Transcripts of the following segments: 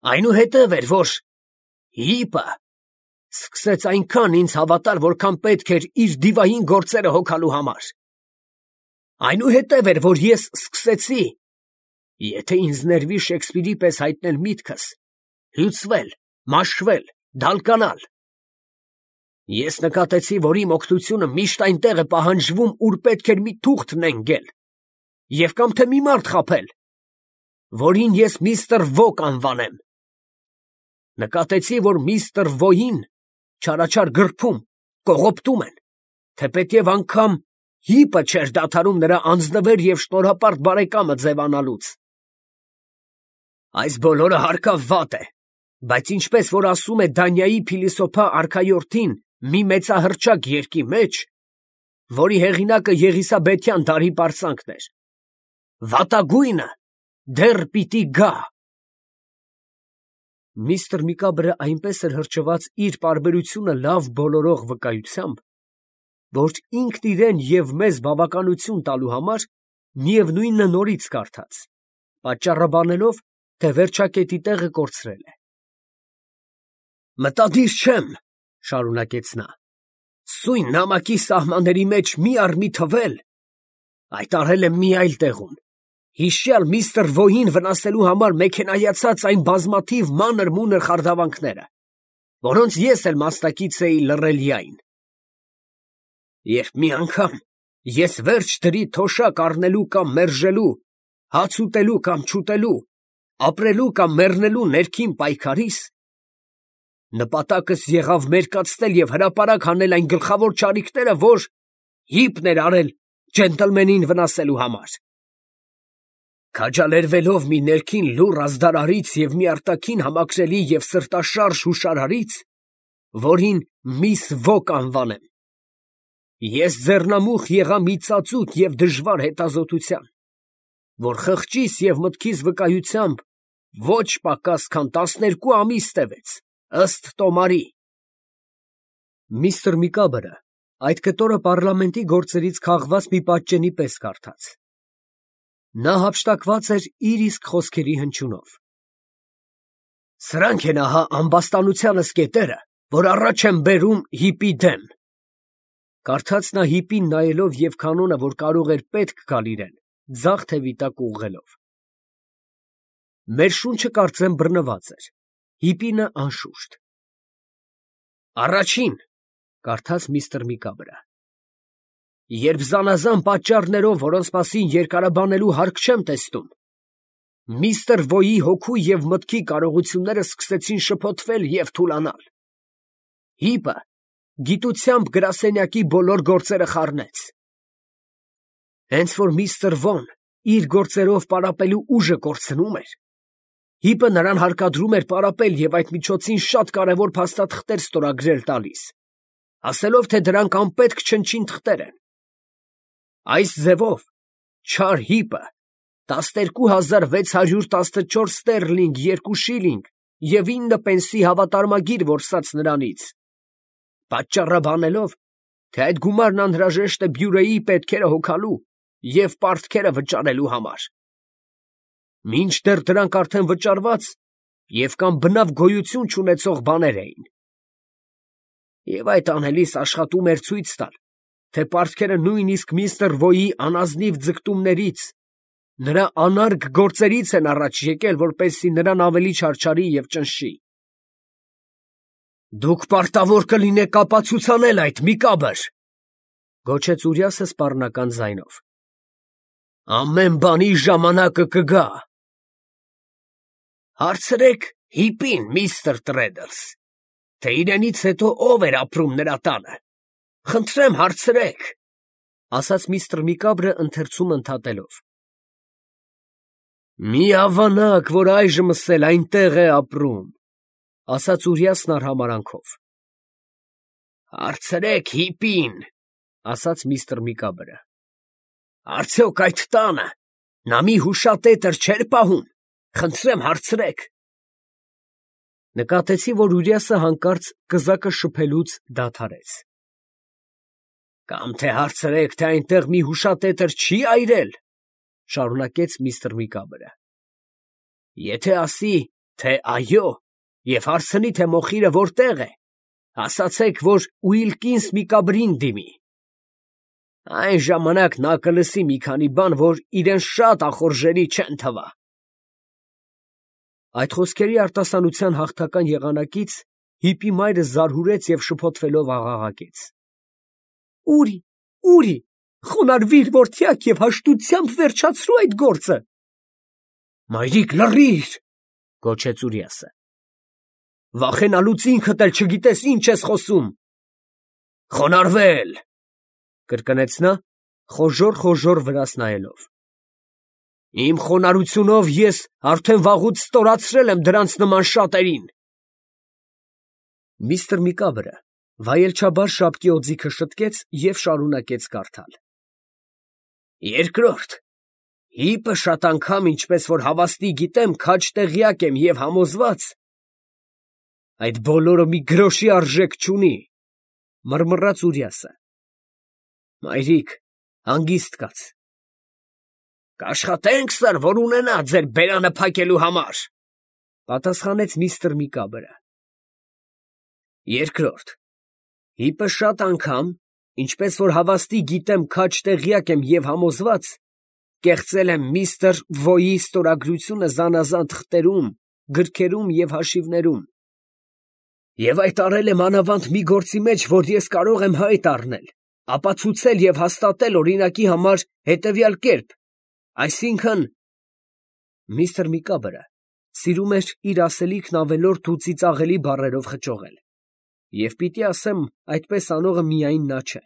Այնուհետև էր, որ հիպը սկսեց այնքան ինձ հավատալ, որքան պետք էր իր դիվային գործերը հոգալու համար։ Այնուհետև էր, որ ես սկսեցի, եթե ինձ ներվի Շեքսպիրի պես հայտնել միտքս, հյուծվել, մաշվել, դալկանալ։ Ես նկատեցի, որ իմ օգնությունը միշտ այնտեղ է պահանջվում, ուր պետք էր մի թուղթ նենգել, և կամ թե մի մարդ խաբել, որին ես միստր Ոկ անվանեմ։ Նկատեցի, որ միստր Վոյին չարաչար գրփում, կողոպտում են, թեպետև անգամ հիպը չէր դադարում նրա անձնվեր և շնորհապարտ բարեկամը ձևանալուց։ Այս բոլորը հարկավատ է, բայց ինչպես որ ասում է Դանիայի փիլիսոփա արքայորդին մի մեծահռչակ երգի մեջ, որի հեղինակը Եղիսաբեթյան դարի պարծանքն էր, վատագույնը դեռ պիտի գա։ Միստր Միկաբրը այնպես էր հրճված իր պարբերությունը լավ բոլորող վկայությամբ, որ ինքն իրեն և մեզ բավականություն տալու համար միևնույնը նորից կարդաց, պատճառաբանելով, թե վերջակետի տեղը կորցրել է։ «Մտադիր չեմ, ֊ շարունակեց նա, ֊ սույն նամակի սահմանների մեջ մի առ մի թվել, այդ արել եմ մի այլ տեղում, հիշյալ միստր Վոյին վնասելու համար մեքենայացած այն բազմաթիվ մանր֊մունր խարդավանքները, որոնց ես էլ մասնակից էի լռելիային։ Երբ մի անգամ ես վերջ դրի թոշակ առնելու կամ մերժելու, հաց ուտելու կամ չուտելու, ապրելու կամ մեռնելու ներքին պայքարիս, նպատակս եղավ մերկացնել և հրապարակ հանել այն գլխավոր չարիքները, որ հիպն էր արել ջենտլմենին վնասելու համար։ Քաջալերվելով մի ներքին լուռ ազդարարից և մի արտաքին համակրելի և սրտաշարժ հուշարարից, որին միս Ոկ անվանեմ, ես ձեռնամուխ եղա մի ծածուկ և դժվար հետազոտության, որ խղճիս և մտքիս վկայությամբ ոչ պակաս քան 12 ամիս տևեց, ըստ տոմարի։ Միստր Միկաբրը այդ կտորը պառլամենտի գործերից քաղված մի պատճենի պես կարդաց։ Նա հափշտակված էր իր իսկ խոսքերի հնչյունով։ Սրանք են ահա ամբաստանությանս կետերը, որ առաջ եմ բերում հիպի դեմ, կարդաց նա հիպին նայելով և կանոնը, որ կարող էր պետք գալ իրեն, ձախ թևի տակ ուղղելով։ Մեր շունչը կարծեմ բռնված էր, հիպինը անշուշտ։ Առաջին, ֊ կարդաց միստր Միկաբրը, ֊ երբ զանազան պատճառներով, որոնց մասին երկարաբանելու հարկ չեմ տեսնում, միստր Վոյի հոգու և մտքի կարողությունները սկսեցին շփոթվել և թուլանալ, հիպը գիտությամբ գրասենյակի բոլոր գործերը խառնեց։ Հենց որ միստր Վոն իր գործերով պարապելու ուժը կորցնում էր, հիպը նրան հարկադրում էր պարապել և այդ միջոցին շատ կարևոր փաստաթղթեր ստորագրել տալիս, ասելով, թե դրանք անպետք չնչին թղթեր են։ Այս ձևով չար հիպը 12,614 ստերլինգ 2 շիլինգ և 9 պենսի հավատարմագիր որսաց նրանից, պատճառաբանելով, թե այդ գումարն անհրաժեշտ է բյուրեի պետքերը հոգալու և պարտքերը վճարելու համար, մինչդեռ դրանք արդեն վճարված և կամ բնավ գոյություն չունեցող բաներ էին։ Եվ այդ անելիս աշխատում էր ցույց տալ, թե պարտքերը նույնիսկ միստր Վոյի անազնիվ ձգտումներից, նրա անարգ գործերից են առաջ եկել, որպեսզի նրան ավելի չարչարի և ճնշի։ Դուք պարտավոր կլինեք ապացուցանել այդ, Միկաբր, ֊ գոչեց Ուրիասը սպառնական ձայնով։ Ամեն բանի ժամանակը կգա։ Հարցրեք հիպին, միստր Տրեդլս, թե իրենից հետո ով էր ապրում նրա տանը, խնդրեմ հարցրեք, ֊ ասաց միստր Միկաբրը ընթերցում ընդհատելով։ Մի ավանակ, որ այժմս էլ այնտեղ է ապրում, ֊ ասաց Ուրիասն արհամարհանքով։ Հարցրեք հիպին, ֊ ասաց միստր Միկաբրը, արդյոք այդ տանը նա մի հուշատետր չէր պահում, խնդրեմ հարցրեք։ Նկատեցի, որ Ուրիասը հանկարծ կզակը շփելուց դադարեց։ Կամ թե հարցրեք, թե այնտեղ մի հուշատետր չի այրել, ֊ շարունակեց միստր Միկաբրը։ Եթե ասի, թե այո, և հարցնի, թե մոխիրը որտեղ է, ասացեք, որ Ուիլկինս Միկաբրին դիմի. այն ժամանակ նա կլսի մի քանի բան, որ իրեն շատ ախորժելի չեն թվա։ Այդ խոսքերի արտասանության հաղթական եղանակից հիպի մայրը զարհուրեց և շփոթվելով աղաղակեց. «Ուրի, ուրի, խոնարհվիր, որդյակ, և հաշտությամբ վերջացրու այդ գործը»։ «Մայրիկ, լռի՛ր», գոչեց Ուրիասը։ «Վախենալուց ինքդ էլ չգիտես ինչ ես խոսում»։ «Խոնարհվել», կրկնեց նա, խոժոռ վրաս նայելով։ «Իմ խոնարհությունով ես արդեն վաղուց ստորացրել եմ դրանց նման շատերին»։ Միստր Միկաբրը վայելչաբար շապկի օձիքը շտկեց և շարունակեց կարդալ. «Երկրորդ, հիպը շատ անգամ, ինչպես որ հավաստի գիտեմ, քաջ տեղյակ եմ և համոզված, այդ բոլորը մի գրոշի արժեք չունի», մռմռաց Ուրիասը։ «Մայրիկ, հանգիստ կաց»։ «Կաշխատենք, սըր, որ ունենա ձեր բերանը փակելու համար», պատասխանեց միստր Միկաբրը։ «Երկրորդ, հիպը շատ անգամ, ինչպես որ հավաստի գիտեմ, քաջ տեղյակ եմ և համոզված, կեղծել եմ միստր Վոյի ստորագրությունը զանազան թղթերում, գրքերում և հաշիվներում, և այդ արել եմ մանավանդ մի գործի մեջ, որ ես կարող եմ հայտ առնել, ապացուցել և հաստատել օրինակի համար հետևյալ կերպ, այսինքն…» Միստր Միկաբրը սիրում էր իր ասելիքն ավելորդ ու ծիծաղելի բառերով խճողել, և պիտի ասեմ, այդպես անողը միայն նա չէ։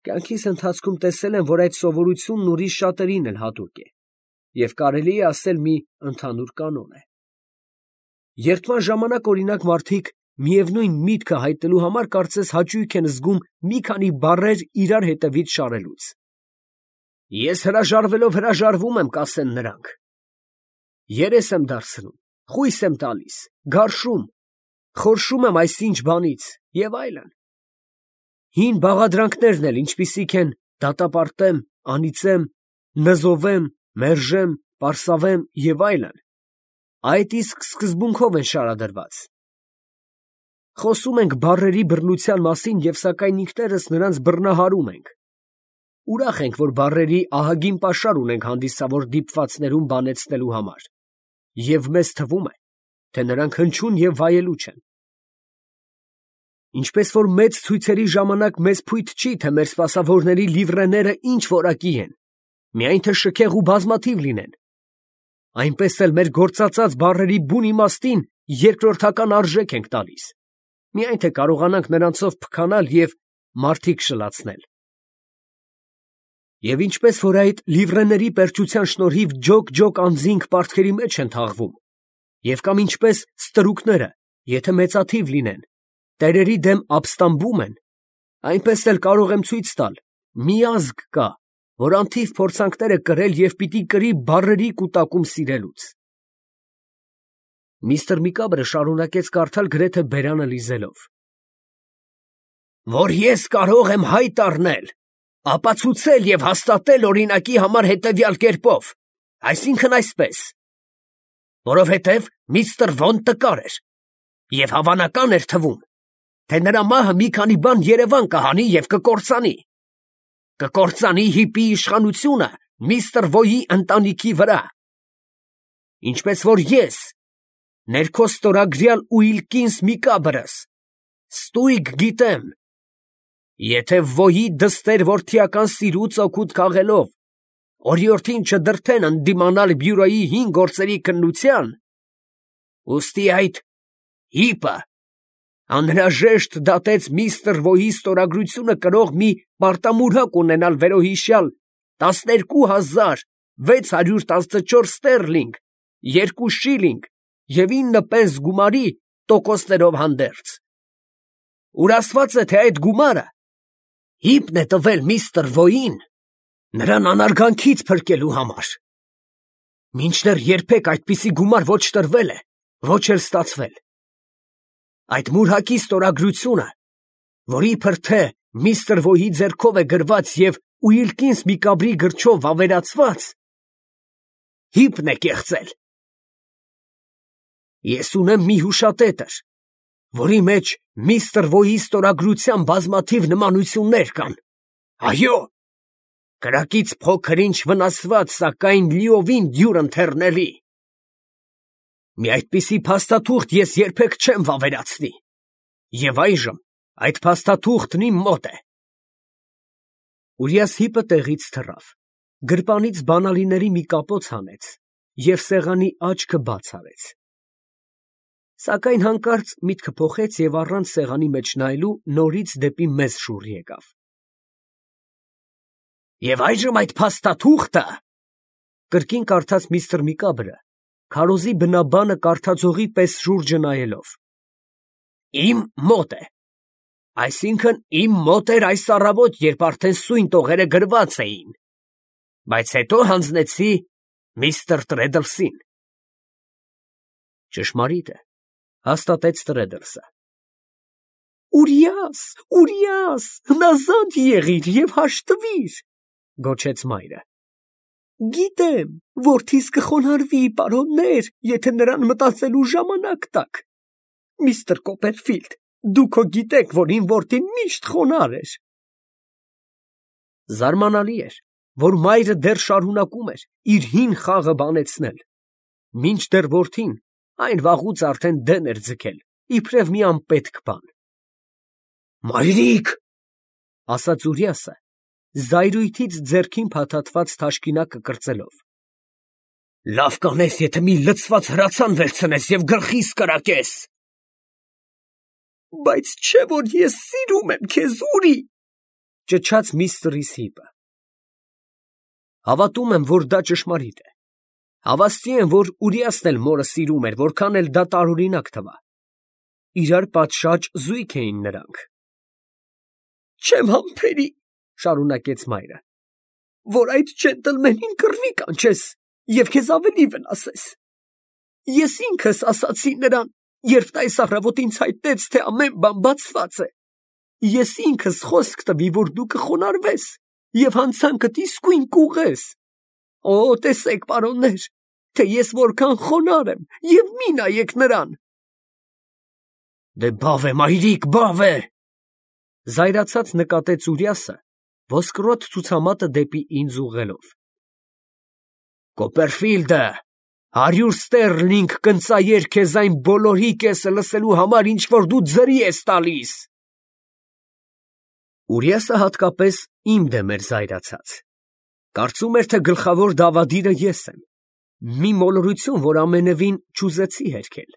Կյանքիս ընթացքում տեսել եմ, որ այդ սովորությունն ուրիշ շատերին էլ հատուկ է, և կարելի է ասել մի ընդհանուր կանոն է։ Երդման ժամանակ, օրինակ, մարդիկ միևնույն միտքը հայտնելու համար կարծես հաճույք են զգում մի քանի բառեր իրար հետևից շարելուց։ «Ես հրաժարվում եմ», կասեն նրանք։ Երես եմ դարձնում, խույս եմ տալիս, գարշում, խորշում եմ այսինչ բանից և այլն։ Հին բաղադրանքներն էլ, ինչպիսիք են դատապարտեմ, անիծեմ, նզովեմ, մերժեմ, պարսավեմ և այլն, այդ իսկ սկզբունքով են շարադրված։ Խոսում ենք բառերի բռնության մասին և սակայն ինքներս նրանց բռնահարում ենք։ Ուրախ ենք, որ բառերի ահագին պաշար ունենք հանդիսավոր դիպվածներում բանեցնելու համար, և մեզ թվում է, թե նրանք հնչյուն և վայելուչ են։ Ինչպես որ մեծ ցույցերի ժամանակ մեզ փույթ չի, թե մեր սպասավորների լիվրեները ինչ որակի են, միայն թե շքեղ ու բազմաթիվ լինեն, այնպես էլ մեր գործածած բառերի բուն իմաստին երկրորդական արժեք ենք տալիս, միայն թե կարողանանք նրանցով փքանալ և մարդիկ շլացնել։ Եվ ինչպես որ այդ լիվրեների պերճության շնորհիվ ջոկ անձինք պարտքերի մեջ են թաղվում, և կամ ինչպես ստրուկները, եթե մեծաթիվ լինեն, տերերի դեմ ապստամբում են, այնպես էլ կարող եմ ցույց տալ, մի ազգ կա, որ անթիվ փորձանքներ է կրել և պիտի կրի բառերի կուտակում սիրելուց։ Միստր Միկաբրը շարունակեց կարդալ գրեթե բերանը լիզելով. «Որ ես կարող եմ հայտ առնել, ապացուցել և հաստատել օրինակի համար հետևյալ կերպով, այսինքն այսպես. որովհետև միստր Վոն տկար էր, և հավանական էր թվում, թե նրա մահը մի քանի բան երևան կհանի և կկործանի։ Կկործանի հիպի իշխանությունը միստր Վոյի ընտանիքի վրա։ Ինչպես որ ես, ներքո ստորագրյալ Ուիլկինս Միկաբրս, ստույգ գիտեմ, եթե Վոյի դստեր որդիական սիրուց օգուտ քաղելով, օրիորդին չդրդեն ընդդիմանալ բյուրոյի հին գործերի քննության, ուստի այդ հիպը անհրաժեշտ դատեց միստր Վոյի ստորագրությունը կրող մի պարտամուրհակ ունենալ վերոհիշյալ 12,614 ստերլինգ, 2 շիլինգ և 9 պենս գումարի տոկոսներով հանդերձ։ Ուր ասված է, թե այդ գումարը հիպն է տվել միստր Վոյին նրան անարգանքից փրկելու համար։ Մինչդեռ երբեք այդպիսի գումար ոչ տրվել է, ոչ էլ ստացվել։ Այդ մուրհակի ստորագրությունը, որ իբր թե միստր Վոյի ձեռքով է գրված և Ուիլկինս Միկաբրի գրչով վավերացված, հիպն է կեղծել։ Ես ունեմ մի հուշատետր, որի մեջ միստր Վոյի ստորագրության բազմաթիվ նմանություններ կան։ Այո, կրակից փոքր-ինչ վնասված, սակայն լիովին դյուրընթեռնելի։ Մի այդպիսի փաստաթուղթ ես երբեք չեմ վավերացնի, և այժմ այդ փաստաթուղթն իմ մոտ է։ Ուրիաս հիպը տեղից թռավ, գրպանից բանալիների մի կապոց հանեց և սեղանի աչքը բաց արեց։ Սակայն հանկարծ միտքը փոխեց և առանց սեղանի մեջ նայելու նորից դեպի մեզ շուռ եկավ։ Եվ այժմ այդ փաստաթուղթը, կրկին կարդաց միստր Միկաբրը, քարոզի բնաբանը կարդացողի պես շուրջը նայելով, իմ մոտ է, այսինքն իմ մոտ էր այս առավոտ, երբ արդեն սույն տողերը գրված էին, բայց հետո հանձնեցի միստր Տրեդլսին։ Ճշմարիտ է, հաստատեց Տրեդլսը։ Ուրիաս, Ուրիաս, հնազանդ եղիր և հաշտվիր, գոչեց մայրը։ Գիտեմ, որդիս կխոնարհվի, պարոններ, եթե նրան մտածելու ժամանակ տաք։ Միստր Կոպերֆիլդ, դուք հո գիտեք, որ իմ որդին միշտ խոնարհ էր։ Զարմանալի էր, որ մայրը դեռ շարունակում էր իր հին խաղը բանեցնել, մինչդեռ որդին այն վաղուց արդեն դեն էր ձգել, իբրև մի անպետք բան։ Մայրիկ, ասաց Ուրիասը, զայրույթից ձեռքին փաթաթված թաշկինակը կրծելով, լավ կանես, եթե մի լցված հրացան վերցնես և գլխիս կրակես։ Բայց չէ որ ես սիրում եմ քեզ, Ուրի, ճչաց միստր Հիպը։ Հավատում եմ, որ դա ճշմարիտ է։ Հավաստի եմ, որ Ուրիասն էլ մորը սիրում էր, որքան էլ դա տարօրինակ թվա։ Իրար պատշաճ զույգ էին նրանք։ Չեմ համբերի, շարունակեց մայրը, որ այդ ջենտլմենին կռվի կանչես և քեզ ավելի վնասես։ Ես ինքս ասացի նրան, երբ նա այս առավոտ ինձ հայտնեց, թե ամեն բան բացված է։ Ես ինքս խոսք տվի, որ դու կխոնարհվես և հանցանքդ իսկույն կուղղես։ Օ, տեսեք, պարոններ, թե ես որքան խոնարհ եմ, և մի նայեք նրան։ Դե բավ է, մայրիկ, բավ է, զայրացած նկատեց Ուրիասը, ոսկրոտ ցուցամատը դեպի ինձ ուղղելով։ Կոպերֆիլդը 100 ստերլինգ կընծայեր քեզ այն բոլորի կեսը լսելու համար, ինչ որ դու ձրի ես տալիս։ Ուրիասը հատկապես իմ դեմ էր զայրացած։ Կարծում էր, թե գլխավոր դավադիրը ես եմ, մի մոլորություն, որ ամենևին չուզեցի հերքել։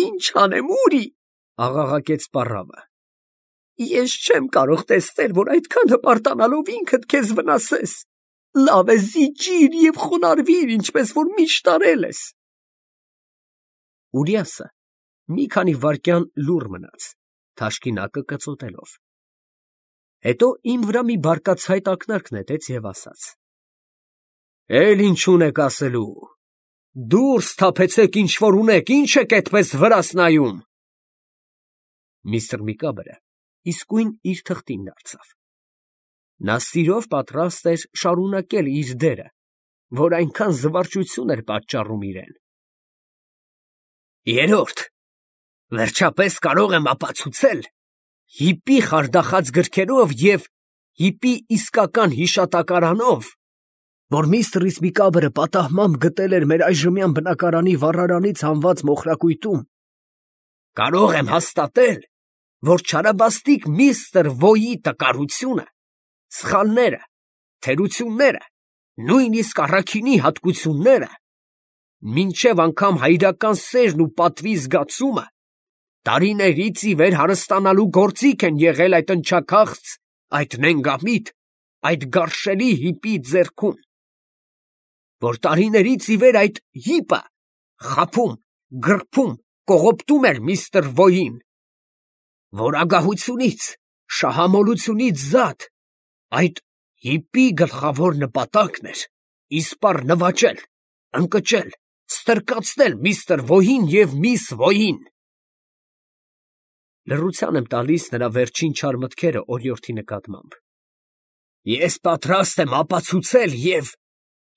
Ինչ անեմ, Ուրի, աղաղակեց պառավը։ Ես չեմ կարող տեսնել, որ այդքան հպարտանալով ինքդ քեզ վնասես։ Լավ է, զիջիր և խոնարհվիր, ինչպես որ միշտ արել ես։ Ուրիասը մի քանի վայրկյան լուռ մնաց, թաշկինակը կծոտելով։ Հետո իմ վրա մի բարկացայտ ակնարկ նետեց և ասաց. Էլ ինչ ունեք ասելու։ Դուրս թափեցեք, ինչ որ ունեք, ինչ եք այդպես վրաս նայում։ Միստր Միկաբրը իսկույն իր թղթին դարձավ։ Նա սիրով պատրաստ էր շարունակել իր դերը, որ այնքան զվարճություն էր պատճառում իրեն։ Երորդ, վերջապես կարող եմ ապացուցել հիպի խարդախած գրքերով և հիպի իսկական հիշատակարանով, որ միստր Միկաբրը պատահմամբ գտել էր մեր այժմյան բնակարանի վառարանից հանված մոխրակույտում, կարող եմ հաստատել, որ չարաբաստիկ միստր Վոյի տկարությունը, սխալները, թերությունները, նույնիսկ առաքինի հատկությունները, մինչև անգամ հայրական սերն ու պատվի զգացումը, տարիներից ի վեր հարստանալու գործիք են եղել այդ ընչաքաղց, այդ նենգամիտ, այդ գարշելի հիպի ձեռքում, որ տարիներից ի վեր այդ հիպը խաբում, գրփում, կողոպտում էր միստր Վոյին, որ ագահությունից, շահամոլությունից զատ, այդ հիպի գլխավոր նպատակն էր իսպառ նվաճել, ընկճել, ստրկացնել միստր Վոյին և միս Վոյին։ Լռության եմ տալիս նրա վերջին չար մտքերը օրիորդի նկատմամբ։ Ես պատրաստ եմ ապացուցել և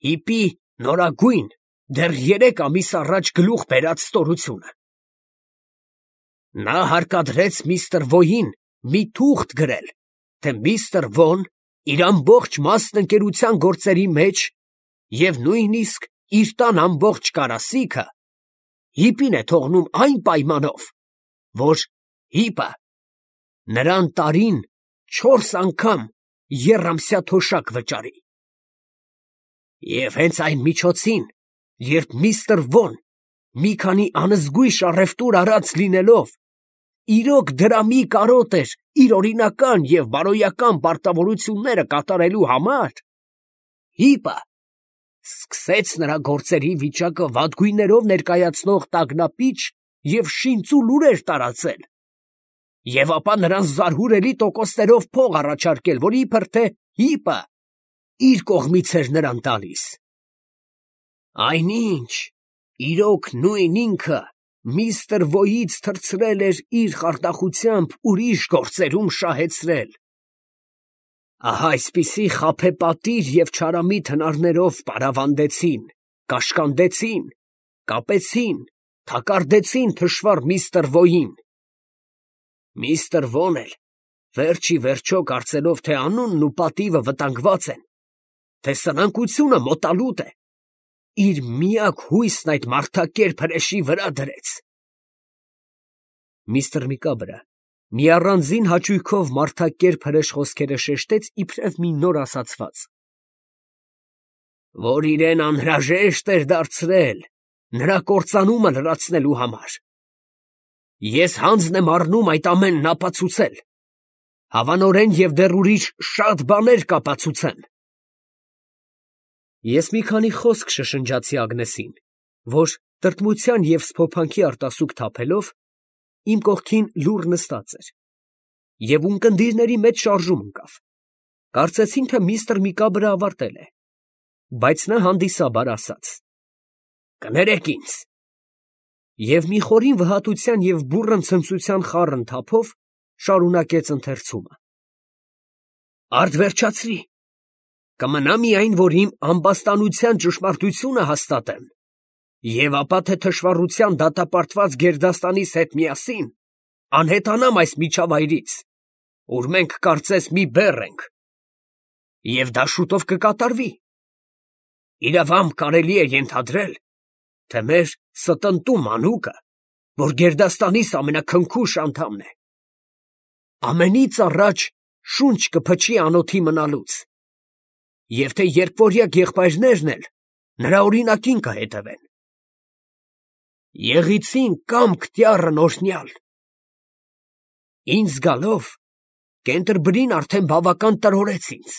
հիպի նորագույն, դեռ 3 ամիս առաջ գլուխ բերած ստորությունը։ Նա հարկադրեց միստր Վոյին մի թուղթ գրել, թե միստր Վոն իր ամբողջ մասնընկերության գործերի մեջ և նույնիսկ իր տան ամբողջ կարասիքը հիպին է թողնում այն պայմանով, որ հիպը նրան տարին 4 անգամ եռամսյա թոշակ վճարի։ Եվ հենց այն միջոցին, երբ միստր Վոն մի քանի անզգույշ առևտուր արած լինելով, իրոք դրամի կարոտ էր իր օրինական և բարոյական պարտավորությունները կատարելու համար, հիպը սկսեց նրա գործերի վիճակը վատգույններով ներկայացնող տագնապիչ և շինծու լուրեր տարածել, և ապա նրան զարհուրելի տոկոսներով փող առաջարկել, որ իբր թե հիպը իր կողմից էր նրան տալիս։ Այնինչ, իրոք նույն ինքը միստր Վոյից թռցրել էր իր խարդախությամբ ուրիշ գործերում շահեցրել։ Ահա այսպիսի խաբեբատիր և չարամիտ հնարներով պարավանդեցին, կաշկանդեցին, կապեցին, թակարդեցին թշվառ միստր Վոյին։ Միստր Վոն էլ վերջ ի վերջո կարծելով, թե անունն ու պատիվը վտանգված են, թե սնանկությունը մոտալուտ է, իր միակ հույսն այդ մարդակերպ հրեշի վրա դրեց։ Միստր Միկաբրը մի առանձին հաճույքով մարդակերպ հրեշ խոսքերը շեշտեց իբրև մի նոր ասացված, որ իրեն անհրաժեշտ էր դարձրել նրա կործանումը լրացնելու համար։ Ես հանձն եմ առնում այդ ամենն ապացուցել, հավանորեն և դեռ ուրիշ շատ բաներ կապացուցեմ։ Ես մի քանի խոսք շշնջացի Ագնեսին, որ տրտմության և սփոփանքի արտասուք թափելով իմ կողքին լուռ նստած էր, և ունկնդիրների մեջ շարժում ընկավ։ Կարծեցին, թե միստր Միկաբրը ավարտել է, բայց նա հանդիսաբար ասաց. «Կներեք ինձ», և մի խորին վհատության և բուռն ցնծության խառն թափով շարունակեց ընթերցումը. «Արդ վերջացրի, կմնա միայն, որ իմ ամբաստանության ճշմարտությունը հաստատեմ, և ապա թե թշվառության դատապարտված գերդաստանիս հետ միասին անհետանամ այս միջավայրից, ուր մենք կարծես մի բեռ ենք, և դա շուտով կկատարվի։ Իրավամբ կարելի է ենթադրել, թե մեր ստընտու մանուկը, որ գերդաստանիս ամենաքնքուշ անդամն է, ամենից առաջ շունչ կփչի անոթի մնալուց, և թե երկվորյա եղբայրներն էլ նրա օրինակին կհետևեն։ Եղիցին կամք տյառն օրհնյալ։ Ինձ զգալով, Կենտերբրին արդեն բավական տրորեց ինձ,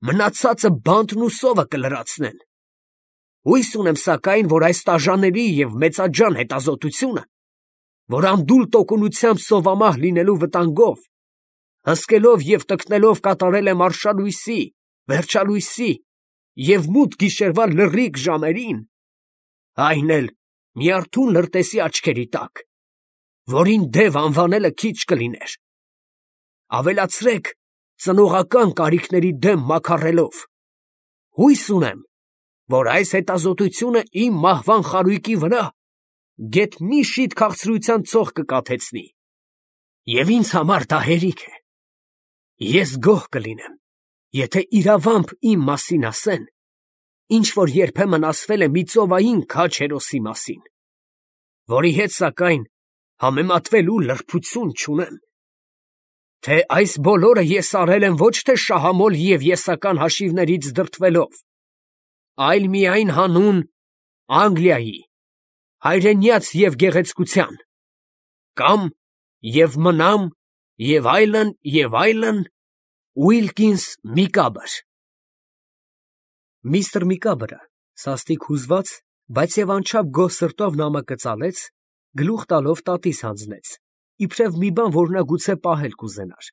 մնացածը բանտն ու սովը կլրացնեն։ Հույս ունեմ, սակայն, որ այս տաժանելի և մեծաձան հետազոտությունը, որ անդուլ տոկունությամբ սովամահ լինելու վտանգով, հսկելով և տկնելով կատարել եմ արշալույսի, վերջալույսի և մութ գիշերվա լռիկ ժամերին, այն էլ մի արթուն լրտեսի աչքերի տակ, որին դև անվանելը քիչ կլիներ, ավելացրեք ծնողական կարիքների դեմ մաքառելով, հույս ունեմ, որ այս հետազոտությունը իմ մահվան խարույկի վրա գեթ մի շիթ քաղցրության ցող կկաթեցնի, և ինձ համար դա հերիք է։ Ես գոհ կլինեմ, եթե իրավամբ իմ մասին ասեն, ինչ որ երբեմն ասվել է մի ծովային քաջ հերոսի մասին, որի հետ, սակայն, համեմատվելու լրբություն չունեմ, թե այս բոլորը ես արել եմ ոչ թե շահամոլ և եսական հաշիվներից դրդվելով, այլ միայն հանուն Անգլիայի, հայրենյաց և գեղեցկության, կամ և մնամ, և այլն, Ուիլկինս Միկաբր։ Միստր Միկաբրը սաստիկ հուզված, բայց և անչափ գոհ սրտով նամակը ծալեց, գլուխ տալով տատիս հանձնեց, իբրև մի բան, որ նա գուցե պահել կուզենար։